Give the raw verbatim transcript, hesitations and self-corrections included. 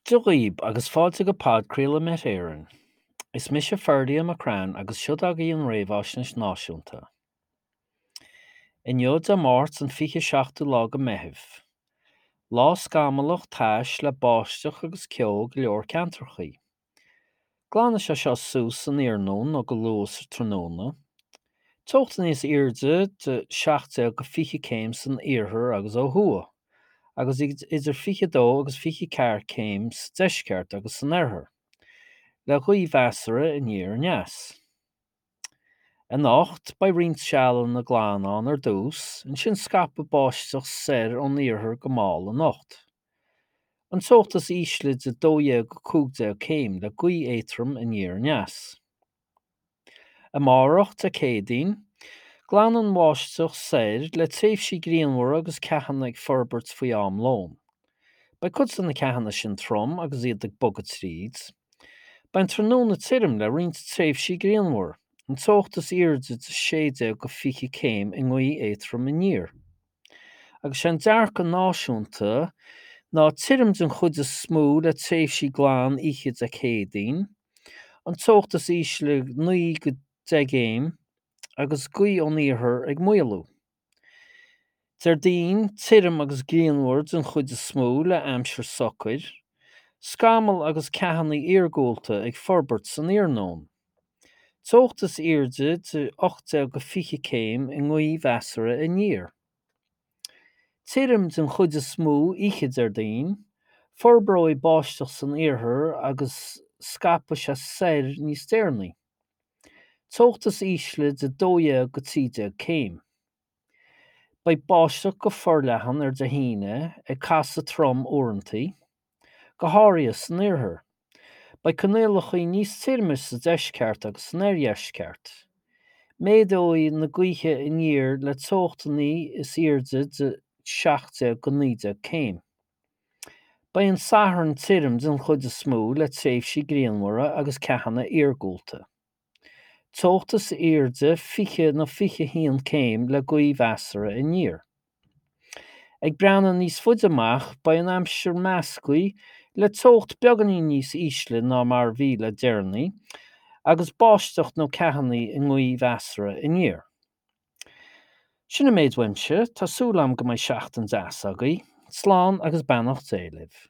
Dia dhaoib agus fáilte go podchraoladh Met Éireann. Is mise Ferdia McCrann agus seo agaibh an réamhaisnéis náisiúnta. Inniu Dé Máirt an fiche seachtú lá de Mheitheamh. Lá scamallach tais le báisteach agus ceo go leor ceantrachaí. Glanfaidh sé seo suas san iarnóin nó go luath sa tráthnóna. Teocht níos airde de seacht déag go fiche céim san iarthar agus ó thuaidh, agus idir fiche dó agus fiche ceathair céim sa deisceart agus san oirthear, le gaoth mheasartha aniar aneas. Anocht, beidh roinnt sealanna glan ann ar dtús, ansin scaipfidh báisteach soir ón iarthar go mall anocht. An teocht is ísle de dó dhéag go cúig déag céim le gaoth éadrom aniar aneas. Amárach, Dé Céadaoin, glanfaidh an bháisteach soir le tréimhsí grianmhara agus ceathanna ag forbairt faoi am lóin. Beidh cuid de na ceathanna sin trom agus iad ag bogadh tríd. Beidh an tráthnóna tirim le roinnt tréimhsí grianmhar, an teocht is airde de sé déag go fiche céim i ngaoth éadrom aniar. Agus sé an dearcadh náisiúnta ná tirim den chuid is mó le tréimhsí glan oíche Dé Céadaoin, an teocht is ísle naoi go deich gcéim agus gaoth ón iarthar ag maolú. Déardaoin, tirim agus grianmhar den chuid is mó le aimsir socair, scamaill agus ceathanna iargúlta ag forbairt san iarnóin. Teocht is airde de ocht déag go fiche céim i ngaoth mheasartha aniar. Tirim den chuid is mó oíche Déardaoin, forbróidh báisteach san iarthar agus scaipfidh sé soir níos deireanaí. Teocht is ísle de dó dhéag go trí déag céim. Beidh báisteach go forleathan ar Dé hAoine ag casadh trom uaireanta, go háirithe san iarthar. Beidh coinníollacha níos tirime sa deisceart agus san oirdheisceart. Méadóidh na gaoithe aniar le teochtanna is airde de seacht déag go naoi déag céim. Beidh an Satharn tirim den chuid is mó le tréimhsí grianmhara agus ceathanna iargúlta. Teocht is airde fiche nó fiche haon céim le gaoth mheasartha aniar. Ag breathnú níos faide amach, beidh an aimsir measctha le teocht beagáinín níos ísle ná mar a bhí le deireanaí, agus báisteach nó ceathanna i ngaoth mheasartha aniar. Sin an méid uaimse, tá súil agam go mbeidh seachtain deas agaibh. Slán agus beannacht Dé libh.